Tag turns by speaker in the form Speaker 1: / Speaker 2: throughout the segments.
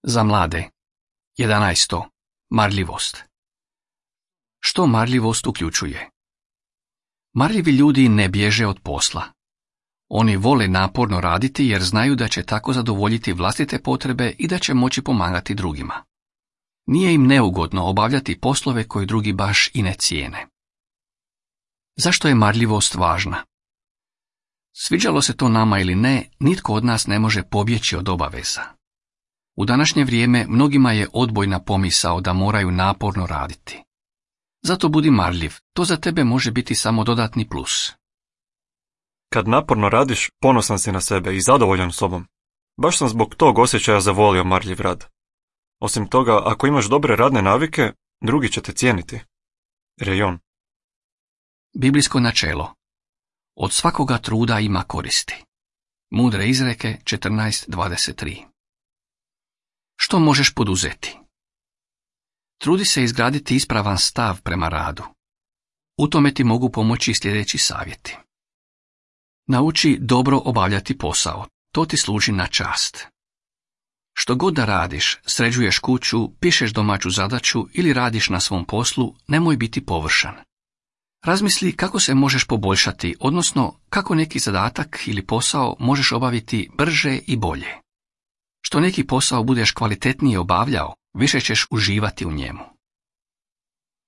Speaker 1: Za mlade. 11. Marljivost. Što marljivost uključuje? Marljivi ljudi ne bježe od posla. Oni vole naporno raditi jer znaju da će tako zadovoljiti vlastite potrebe i da će moći pomagati drugima. Nije im neugodno obavljati poslove koje drugi baš i ne cijene. Zašto je marljivost važna? Sviđalo se to nama ili ne, nitko od nas ne može pobjeći od obaveza. U današnje vrijeme mnogima je odbojna pomisao da moraju naporno raditi. Zato budi marljiv, to za tebe može biti samo dodatni plus.
Speaker 2: Kad naporno radiš, ponosan si na sebe i zadovoljan sobom. Baš sam zbog tog osjećaja zavolio marljiv rad. Osim toga, ako imaš dobre radne navike, drugi će te cijeniti. Rejon.
Speaker 1: Biblijsko načelo. Od svakoga truda ima koristi. Mudre izreke 14:23. Što možeš poduzeti? Trudi se izgraditi ispravan stav prema radu. U tome ti mogu pomoći sljedeći savjeti. Nauči dobro obavljati posao, to ti služi na čast. Što god da radiš, sređuješ kuću, pišeš domaću zadaću ili radiš na svom poslu, nemoj biti površan. Razmisli kako se možeš poboljšati, odnosno kako neki zadatak ili posao možeš obaviti brže i bolje. Što neki posao budeš kvalitetnije obavljao, više ćeš uživati u njemu.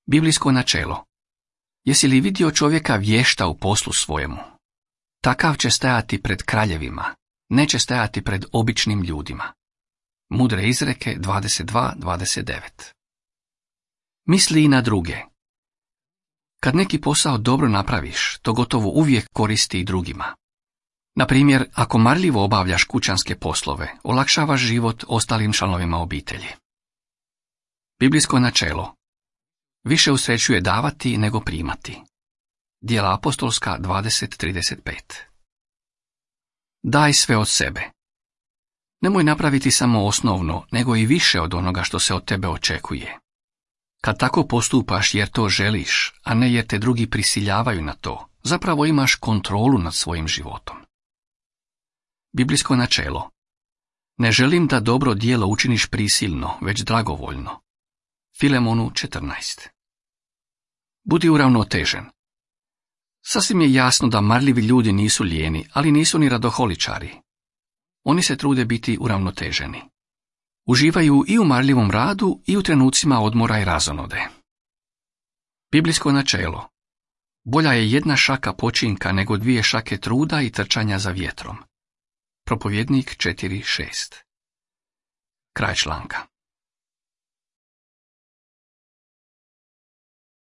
Speaker 1: Biblijsko načelo. Jesi li vidio čovjeka vješta u poslu svojemu? Takav će stajati pred kraljevima, neće stajati pred običnim ljudima. Mudre izreke 22:29. Misli i na druge. Kad neki posao dobro napraviš, to gotovo uvijek koristi i drugima. Na primjer, ako marljivo obavljaš kućanske poslove, olakšavaš život ostalim članovima obitelji. Biblijsko načelo. Više usrećuje davati nego primati. Djela apostolska 20:35. Daj sve od sebe. Nemoj napraviti samo osnovno, nego i više od onoga što se od tebe očekuje. Kad tako postupaš jer to želiš, a ne jer te drugi prisiljavaju na to, zapravo imaš kontrolu nad svojim životom. Biblijsko načelo. Ne želim da dobro djelo učiniš prisilno, već dragovoljno. Filemonu 14. Budi uravnotežen. Sasvim je jasno da marljivi ljudi nisu lijeni, ali nisu ni radoholičari. Oni se trude biti uravnoteženi. Uživaju i u marljivom radu i u trenucima odmora i razonode. Biblijsko načelo. Bolja je jedna šaka počinka nego 2 šake truda i trčanja za vjetrom. Propovjednik 4:6. Kraj članka.